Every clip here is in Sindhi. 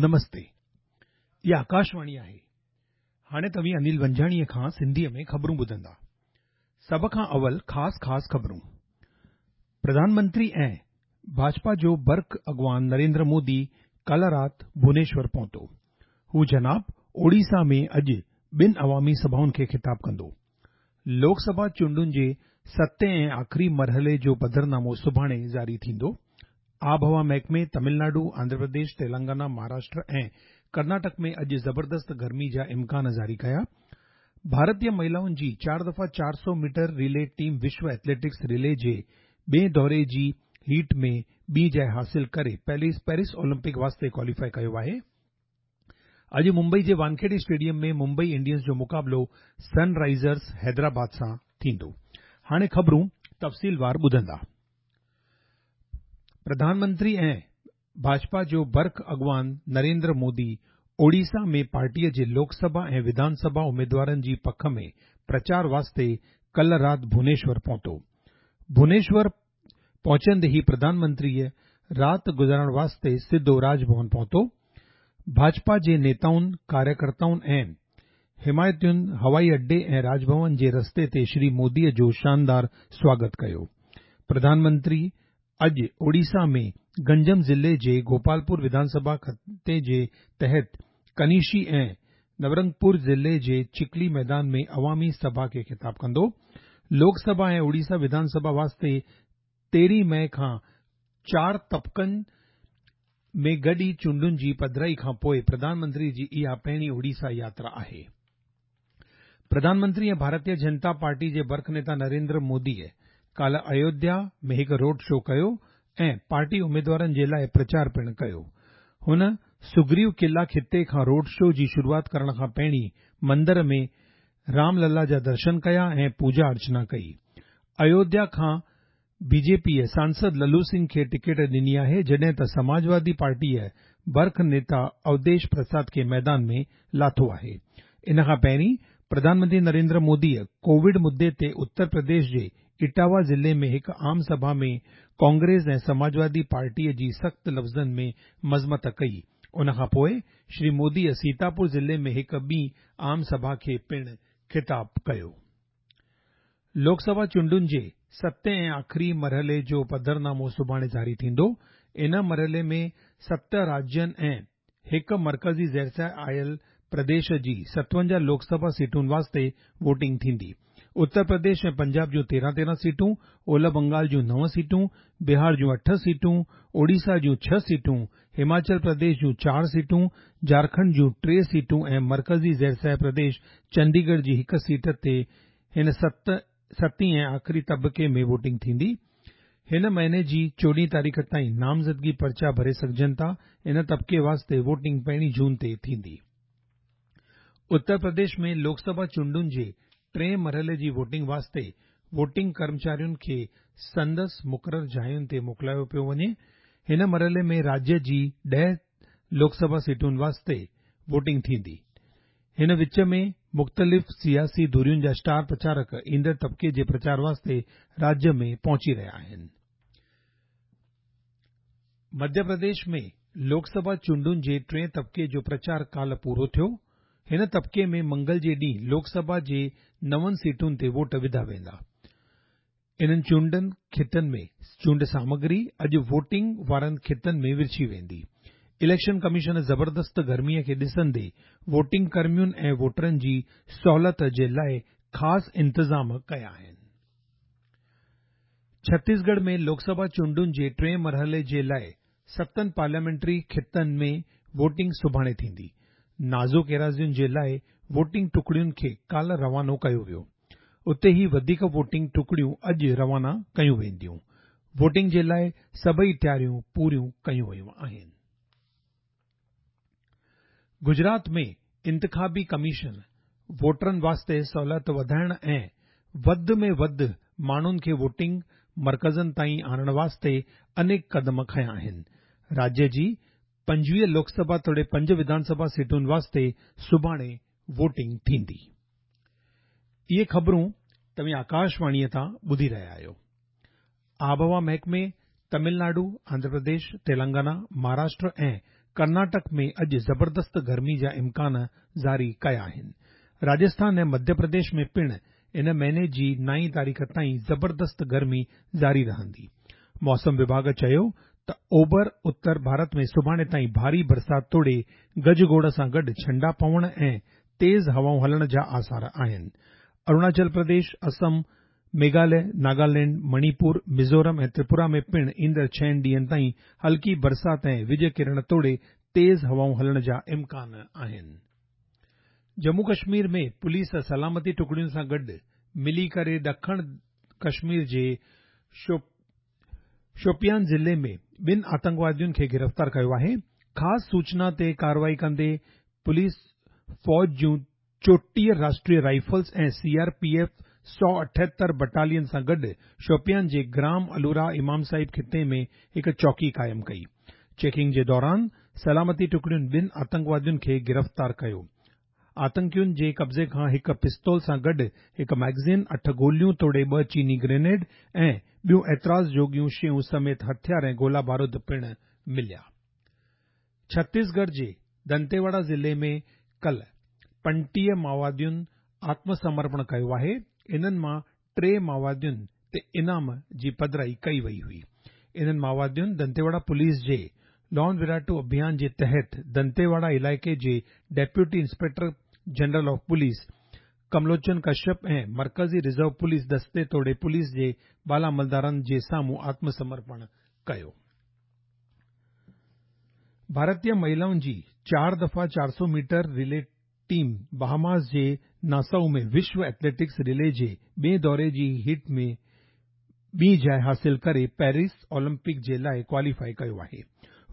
نمستي. اها آڪاشواڻي آهي. هاڻي توهين انيل ونجهاڻيء کان سنڌيء ۾ خبرون ٻڌندا. سڀ کان اول خاص خاص خبرون. پرڌان منتري ۽ ڀاجپا جو برک اڳواڻ نريندر مودي ڪالهه رات ڀونيشور پهتو. هو جناب اوڙيسا ۾ اڄ ٻن عوامي سڀائن کي خطاب ڪندو. لوڪ سڀا چونڊن جي ستين ۽ آخري مرحلي جو پڌرنامو سڀاڻي جاري ٿيندو. آبهوا محڪمي تمل ناڊو، آنڌرا پرديش، تيلنگانا، مهاراشٽر ۽ ڪرناٽڪ ۾ اڄ زبردست گرمي جا امڪان جاري ڪيا. ڀارتي مهلائن جي چار دفعا 400 ميٽر ريلي ٽيم وشو ايٿليٽڪس ريلي جي ٻئين دوري جي هيٽ ۾ ٻي جاء حاصل ڪري پيرس اولمپڪ واسطي ڪواليفائي ڪيو آهي. اڄ ممبئي جي وانکيڙي اسٽيڊيم ۾ ممبئي انڊينز جو مقابلو سن رائيزرز حيدرآباد سان ٿيندو. هاڻي خبرون تفصيلوار ٻڌندا. پرڌان منتري ۽ ڀاجپا جو برک اڳواڻ نريندر مودي اوڙيسا ۾ پارٽيء جي لوڪ سڀا ۽ وڌان سڀا اميدوارن جي پک ۾ پرچار واسطي ڪلهه رات ڀونيشور پهتو. ڀونيشور پهچندي ئي پرڌان منتريء رات گذارڻ واسطي سڌو راڄ ڀون پهتو. ڀاجپا جي نيتائن، ڪاريڪرتائن ۽ حمايتين هوائي اڏي ۽ راڄ ڀون جي رستي تي شري موديء جو شاندار سواگت ڪيو. پرڌان منتري اڄ اوڙيسا ۾ گنجم ضلعي جي گوپالپور وڌان سڀا خطي جي تحت ڪنيشي ۽ نورنگپور ضلعي جي چڪلي ميدان ۾ عوامي سڀا کي خطاب ڪندو. لوڪ سڀا ۽ اوڙيسا وڌان سڀا واسطي 13 مئي کان چار طبقن ۾ گڏي چونڊن جي پڌرائي کان پوء پرڌان منتري جي اها پهرين اوڙيسا ياترا آهي. پرڌان منتري ۽ ڀارتيه جنتا پارٽي جي برک نيتا نريندر موديء ڪالهه ايوڌيا ۾ هڪ روڊ شو ڪيو ۽ پارٽي اميدوارن جي لاء پرچار پڻ ڪيو. هن سگريو قلعا خطي کان روڊ شو جي شروعات ڪرڻ کان پهرين مندر ۾ رام للا جا درشن ڪيا ۽ پوڄا ارچنا ڪئي. ايوڌيا کان بي جي پيء سانسد للو سنگهه کي ٽڪيٽ ڏني آهي، جڏهن ته سماجوادي پارٽيء برک نيتا اوڌيش پرساد کي ميدان ۾ لاٿو آهي. ان کان پهرين پرڌان منتري نريندر موديء ڪووڊ مدي تي اتر پرديش جي اٽاوا ضلعي ۾ هڪ عام سڀا ۾ ڪانگريس ۽ سماجوادي پارٽيء جي سخت لفظن ۾ مذمت ڪئي. ان کان پوء شري موديء سيتاپور ضلعي ۾ هڪ ٻي عام سڀا کي پڻ خطاب ڪيو. لوڪ سڀا چونڊن جي ستين ۽ آخري مرحلي جو پڌرنامو سڀاڻي جاري ٿيندو. ان مرحلي ۾ ست راجين ۽ هڪ مرڪزي زيرسايه آيل پرديش جي 57 لوڪ سڀا سيٽن واسطي ووٽنگ ٿيندي. اتر پرديش ۽ پنجاب جون 13 13 سيٽون، اولهه بنگال جون نو سيٽون، بهار جون اٺ سيٽون، اوڙيسا جون ڇهه سيٽون، هماچل پرديش جون چار سيٽون، جهارکنڊ جون ٽي سيٽون ۽ مرڪزي زيرسايه پرديش چنديڳڙهه جي هڪ سيٽ تي هن ستين ۽ آخري طبقي ۾ ووٽنگ ٿيندي. هن مهيني جي 14 تاريخ تائين نامزدگي پرچا ڀري سگهجن ٿا. ان طبقي واسطي ووٽنگ 1 جون تي ٿيندي. اتر پرديش ۾ لوڪ سڀا چونڊن جي ٽئين مرحلي جي ووٽنگ واسطي ووٽنگ ڪرمچارين کي سندس مقرر جاين تي موڪلايو پيو وڃي. هن مرحلي ۾ راجيه جي 10 لوڪ سڀا سيٽن واسطي ووٽنگ ٿيندي. هن وچ ۾ مختلف سياسي ڌرين جا اسٽار پرچارڪ ايندڙ طبقي جي پرچار واسطي راجيه ۾ پهچي رهيا آهن. مڌيه پرديش ۾ لوڪ سڀا چونڊن جي ٽئين طبقي جو پرچار ڪالهه پورو ٿيو. هن طبقي ۾ منگل جي ڏينهن لوڪ سڀا جي نون سيٽن تي ووٽ وڌا ويندا. انهن چونڊن خطن ۾ چونڊ سامگري اڄ ووٽنگ وارن خطن ۾ ورڇي ويندي. اليڪشن ڪميشن زبردست گرميء کي ڏسندي ووٽنگ ڪرمين ۽ ووٽرن جي سهولت جي لاء خاص انتظام ڪيا آهن. ڇتيسڳڙهه ۾ لوڪ سڀا چونڊن جي ٽئين مرحلي جي لاء ستن پارليامينٽري خطن ۾ ووٽنگ سڀاڻي ٿيندي. نازڪ ايراضين جي لاء ووٽنگ ٽڪڙين کي ڪالهه روانو ڪيو ويو. اتي ئي وڌيڪ ووٽنگ ٽڪڙيون اڄ روانا ڪيون وينديون. ووٽنگ جي لاء سڀئي تياريون پوريون ڪيون ويون آهن. گجرات ۾ انتخابي ڪميشن ووٽرن واسطي سهولت وڌائڻ ۽ وڌ ۾ وڌ ماڻهن کي ووٽنگ مرڪزن تائين آڻڻ واسطي انيڪ قدم کنيا آهن. راجيه جي 25 لوڪ سڀا توڙي پنج وڌان سڀا سيٽن واسطي سڀاڻي ووٽنگ ٿيندي. اهي خبرون توهين آڪاشواڻيء تان ٻڌي رهيا آهيو. آبهوا محڪمي تمل ناڊو، آنڌرا پرديش، تيلنگانا، مهاراشٽر ۽ ڪرناٽڪ ۾ اڄ زبردست گرمي جا امڪان جاري ڪيا آهن. راجسٿان ۽ مڌيه پرديش ۾ پڻ ان مهيني جي نائين تاريخ تائين زبردست گرمي جاري رهندي. موسم وڀاڳ چيو ته اوڀر اتر ڀارت ۾ سڀاڻي تائين ڀاري برسات توڙي گجگوڙ سان گڏ ڇنڊا پوڻ ۽ تيز هوائون هلڻ جا آثار آهن. اروناچل پرديش، اسم، ميگهاليه، ناگالينڊ، مڻيپور، ميزورم ۽ تريپورا ۾ پڻ ايندڙ ڇهن ڏينهن تائين هلڪي برسات ۽ وڄ ڪرڻ توڙي تيز هوائون هلڻ جا امڪان آهن. ڄمون ڪشمير ۾ پوليس سلامتي ٽڪڙين سان گڏ ملي ڪري ڏکڻ ڪشمير جي شوپيان ضلعي ۾ ٻن آتنڪوادين کي گرفتار ڪيو آهي. خاص سوچنا تي ڪارروائي ڪندي پوليس فوج جون 34 Rashtriya rifles ۽ C R P F 178 battalion سان گڏ شوپيان جي گرام الورا امام صاحب خطي ۾ هڪ چوڪي قائم ڪئي. چيڪنگ جي دوران سلامتي ٽڪڙين ٻن آتنڪوادين کي گرفتار ڪيو. آتنڪين جي قبضي کان هڪ پستول سان گڏ هڪ ميگزين، اٺ گوليون توڙي ٻه چيني گرينيڊ ۽ ٻيون اعتراض جوڳيون شيون سميت هٿيار ۽ گولا بارود پڻ مليا. ڇتيسڳڙهه جي دنتيواڙا ضلعي ۾ ڪلهه 35 مائووادين آتم سمرپڻ ڪيو آهي. انهن مان ٽي مائووادين تي انعام جي پڌرائي ڪئي وئي هئي. انهن مائووادين دنتيواڙا پوليس جي لون وراٽو اڀيان جي تحت دنتيواڙا علائقي جي deputy inspector general of police Kamlochan Kashyap ۽ مرڪزي رزرو پوليس دستي توڙي پوليس جي بالا عملدارن جي سامهون آتم سمرپڻ ڪيو. ڀارتي مهلائن جي چار دفعا 400 ميٽر رلي ٽيم بهاماس جي ناسائو ۾ وشو ايٿليٽڪس رلي جي ٻئين دوري جي هيٽ ۾ ٻي جاءِ حاصل ڪري پيرس اولمپڪ جي لاءِ ڪواليفائي ڪيو آهي.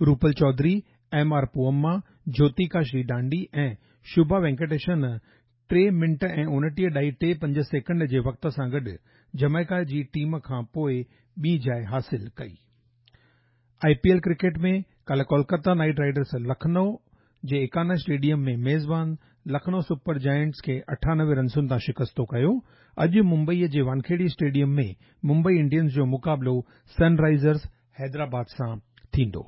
روپل چوڌري، ايم آر پوئما، جيوتيڪا شري ڊانڊي ۽ شوڀا وينڪٽيشن ٽي منٽ ۽ 29.35 سيڪنڊ جي وقت سان گڏ جمائيڪا جي ٽيم کان پوءِ ٻي جاءِ حاصل ڪئي. آء پي ايل ڪرڪيٽ ۾ ڪالهه ڪولڪتا نائيٽ رائيڊرس لکنؤ جي ايڪانا اسٽيڊيم ۾ ميزبان لکنؤ سپر جائنٽس کي 98 رنسن تان شڪستو ڪيو. اڄ ممبئي جي وانکيڙي اسٽيڊيم ۾ ممبئي انڊينز جو مقابلو سن رائيزرز حيدرآباد سان ٿيندو.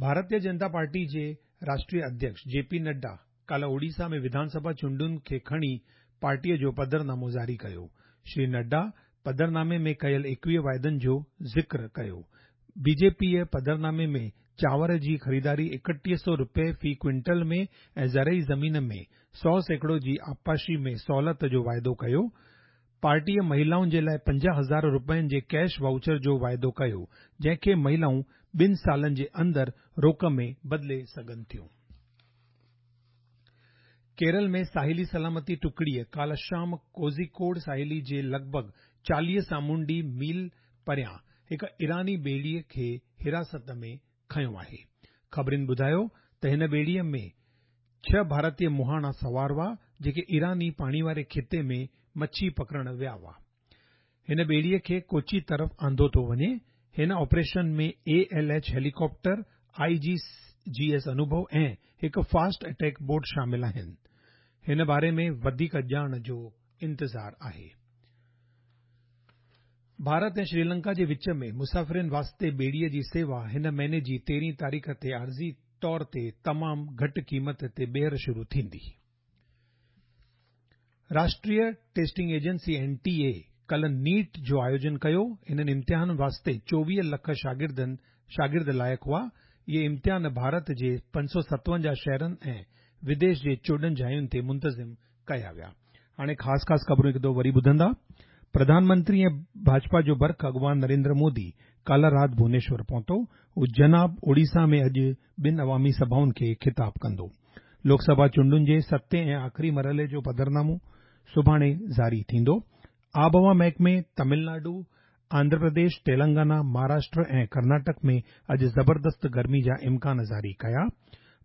ڀارتيه جنتا پارٽي جي راشٽريه اڌيڪش جي پي نڊا ڪالهه اوڙيسا ۾ وڌان سڀا چونڊن کي کڻي پارٽيء جو پڌرنامو جاري ڪيو. شري نڊا پڌرنامي ۾ ڪيل 21 واعدن جو ذڪر ڪيو. بي جي پيء پڌرنامي ۾ چانور جي خريداري 3100 رپئي في ڪوئنٽل ۾ ۽ زرعي زمين ۾ 100% جي آبپاشي ۾ سهولت جو واعدو ڪيو. پارٽيء مهلائن جي لاءِ 50,000 رپين جي ڪيش وائوچر جو واعدو ڪيو، جنهن کي مهلائون ٻن سالن جي اندر روڪ ۾ بدلي سگهن ٿيون. ڪيرل ۾ ساحلي سلامتي ٽڪڙيء ڪالهه شام ڪوزيڪوڊ ساحلي جي لڳ ڀڳ 40 سامونڊي ميل پريان هڪ ايراني ٻيڙيء کي حراست ۾ کنيو آهي. خبرين ٻڌايو ته هن ٻيڙيء ۾ ڇهه ڀارتي مهاڻا سوار هئا، جيڪي ايراني پاڻي واري خطي ۾ مڇي پڪڙڻ ويا هئا. هن ٻيڙيء کي ڪوچي طرف آندو ٿو وڃي. هن operation ۾ A L H helicopter, I G G S Anubhav ۽ هڪ فاسٽ اٽيڪ بوٽ شامل آهن. هن باري ۾ وڌيڪ ڄاڻ جو انتظار آهي. ڀارت ۽ شريلنڪا جي وچ ۾ مسافرين واسطي ٻيڙيء جي سيوا هن مهيني جي 13 تاريخ تي عارضي طور تي تمام گهٽ قيمت تي ٻيهر شروع ٿيندي. راشٽريه ٽيسٽنگ ايجنسي، اين ٽي اي، ڪالهه نيٽ جو آيوجن ڪيو. انهن امتحانن واسطي 24 لک شاگردن شاگرد لائق هئا. اهي امتحان ڀارت جي 557 شهرن ۽ وديش جي 14 جاين تي منتظم ڪيا ويا. هاڻي خاص خاص خبرون هڪ دفعو وري ٻڌندا. پرڌان منتري ۽ ڀاجپا جو برک اڳواڻ نريندر مودي ڪالهه رات ڀونيشور پهتو. هو جناب اوڙيسا ۾ اڄ ٻن عوامي سڀائن کي خطاب ڪندو. لوڪ سڀا چونڊن جي ستين ۽ آخري مرحلي جو پڌرنامو سڀاڻي جاري ٿيندو. آبهوا محڪمي تامل ناڊو، آنڌرا پرديش، تيلنگانا، مهاراشٽر ۽ ڪرناٽڪ ۾ اڄ زبردست گرمي جا امڪان جاري ڪيا.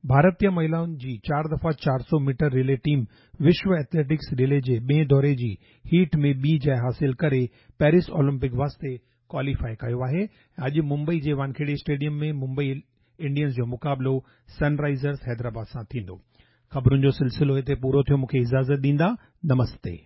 ڀارتي مهلائن جي چار دفعا 400 ميٽر رلي ٽيم وشو ايٿليٽڪس رلي جي ٻئين دوري جي هيٽ ۾ ٻي جاءِ حاصل ڪري پيرس اولمپڪ واسطي ڪواليفائي ڪيو آهي. اڄ ممبئي جي وانکيڙي اسٽيڊيم ۾ ممبئي انڊينز جو مقابلو سن رائيزرز حيدرآباد سان ٿيندو. خبرن جو سلسلو هتي پورو ٿيو مون کي اجازت ڏيندا. نمستي.